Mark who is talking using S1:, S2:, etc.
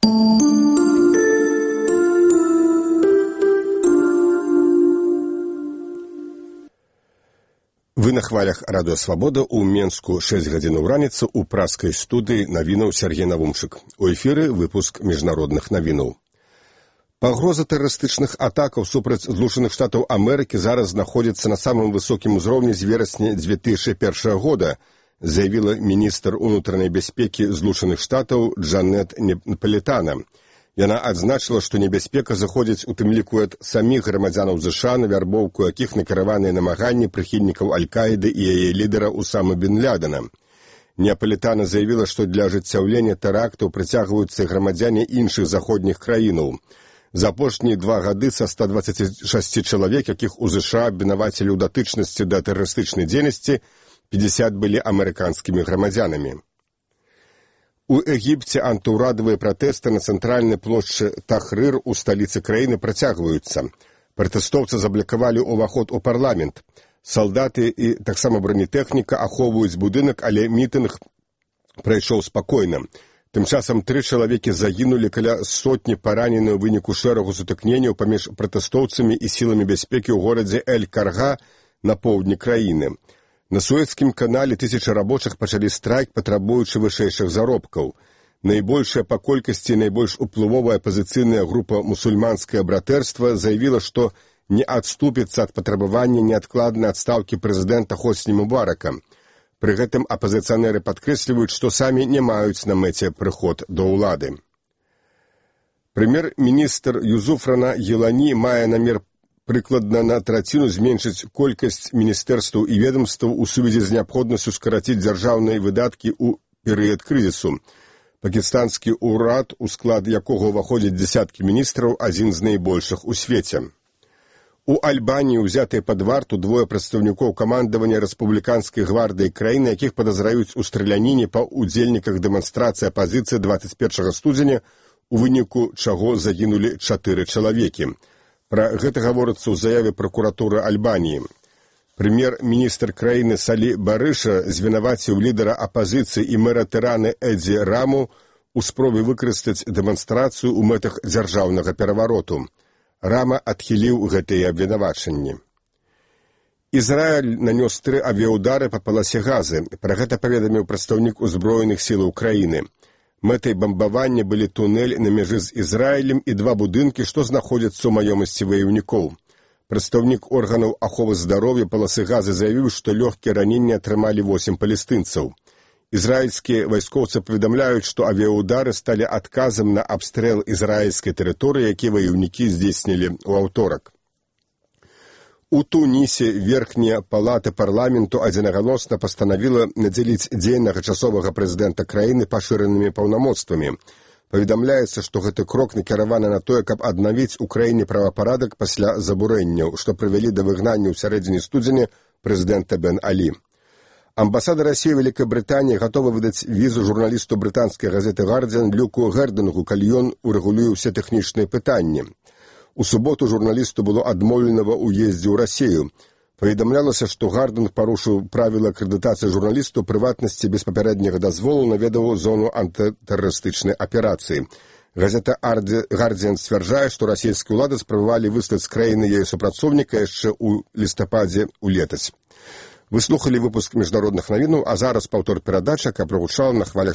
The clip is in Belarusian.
S1: Вы на хвалях Радыё Свабода, у Менску 6 гадзін у раніцы, у праскай студыі навінаў Сергей Навумчык. У эфіры выпуск міжнародных навінаў. Пагроза тэрарыстычных атакаў супраць Злучаных Штатаў Амерыкі зараз знаходзіцца на самым высокім узроўні з верасня 2001 года, заявіла міністр унутранай бяспекі Злучаных Штатаў Джанет Напалітана. Яна адзначыла, што небяспека заходзіць у тым ліку ад саміх грамадзянаў ЗША, на вярбоўку якіх накіраваныя намаганні прыхільнікаў Аль-Каіды і яе лідара Усамы бін Лядена. Напалітана заявіла, што для ажыццяўлення тэрактаў прыцягваюцца грамадзяне іншых заходніх краінаў. За апошнія 2 гады са 126 чалавек, якіх у ЗША абвінавацілі ў датычнасці да тэрарыстычнай дзейнасці, 50 былі амерыканскімі грамадзянамі. У Егіпце антыўрадавыя пратэсты на цэнтральнай плошчы Тахрыр у сталіцы краіны працягваюцца. Пратэстоўцы заблакавалі ўваход у парламент. Салдаты і таксама бронетэхніка ахоўваюць будынак, але мітынг прайшоў спакойна. Тым часам 3 чалавекі загінулі, каля сотні паранены ў выніку шэрагу сутыкненняў паміж пратэстоўцамі і сіламі бяспекі ў горадзе Эль-Карга на поўдні краіны. На Суэцкім канале тысячы рабочых пачалі страйк, патрабуючы вышэйшых заробкаў. Найбольшая па колькасці і найбольш уплывовая апазіцыйная група «Мусульманскае братэрства» заявіла, што не адступіцца ад патрабавання неадкладнай адстаўкі прэзідэнта Хосні Мубарака. Пры гэтым апазіцыянеры падкрэсліваюць, што самі не маюць на мэце прыход да ўлады. Прэм'ер-міністр Юзуфрана Елані мае намер прыкладна на траціну зменшыць колькасць міністэрстваў і ведомстваў у сувязі з неабходнасцю скараціць дзяржаўныя выдаткі ў перыяд крызісу. Пакістанскі ўрад, у склад якога ўваходзяць дзясяткі міністраў, адзін з найбольшых у свеце. У Альбаніі ўзятыя пад варту 2 прадстаўнікоў камандавання рэспубліканскай гвардыі краіны, якіх падазраюць у страляніне па ўдзельніках дэманстрацыі апазіцыі 21 студзеня, у выніку чаго загінулі 4 чалавекі. Пра гэта гаворыцца ў заяве пракуратуры Альбаніі. Прэм'ер-міністр краіны Салі Барыша звінаваціў лідара апазіцыі і мэра Тэраны Эдзі Раму у спробе выкарыстаць дэманстрацыю ў мэтах дзяржаўнага перавароту. Рама адхіліў гэтыя абвінавачанні. Ізраіль нанёс 3 авіяўдары па паласе Газы. Пра гэта паведаміў прадстаўнік узброеных сілаў краіны. Мэтай бамбавання былі тунэль на мяжы з Ізраілем і 2 будынкі, што знаходзяцца ў маёмасці ваяўнікоў. Прадстаўнік органаў аховы здароўя паласы Газы заявіў, што лёгкія раненні атрымалі 8 палестынцаў. Ізраільскія вайскоўцы паведамляюць, што авіяўдары сталі адказам на абстрэл ізраільскай тэрыторыі, які ваяўнікі здзейснілі ў аўторак. У Тунісе верхняя палата парламенту адзінагалосна пастанавіла надзеліць дзейнага часовага прэзідэнта краіны пашыранымі паўнамоцтвамі. Паведамляецца, што гэты крок накіраваны на тое, каб аднавіць у краіне правапарадак пасля забурэнняў, што прывялі да выгнання ў сярэдзіне студзеня прэзідэнта Бен Алі. Амбасада Расіі ў Вялікай Брытаніі гатова выдаць візу журналісту брытанскай газеты «Гардзіан» Люку Гердынгу, калі ён урэгулюе ўсе тэхнічныя пытанні. У суботу журналісту было адмоўлена ва ўездзе ў Расію. Паведамлялася, што Гардынг парушыў правіла акрэдытацыі журналісту, прыватнасці без папярэдняга дазволу наведаў зону антытэрарыстычнай аперацыі. Газета «Гардзіан» сцвярджае, што расійскія ўлады спрабавалі выслаць з краіны яе супрацоўніка яшчэ ў лістападзе ў летась. Вы слухалі выпуск міжнародных навінаў, а зараз паўтор перадачы, якая прагучала на хвалях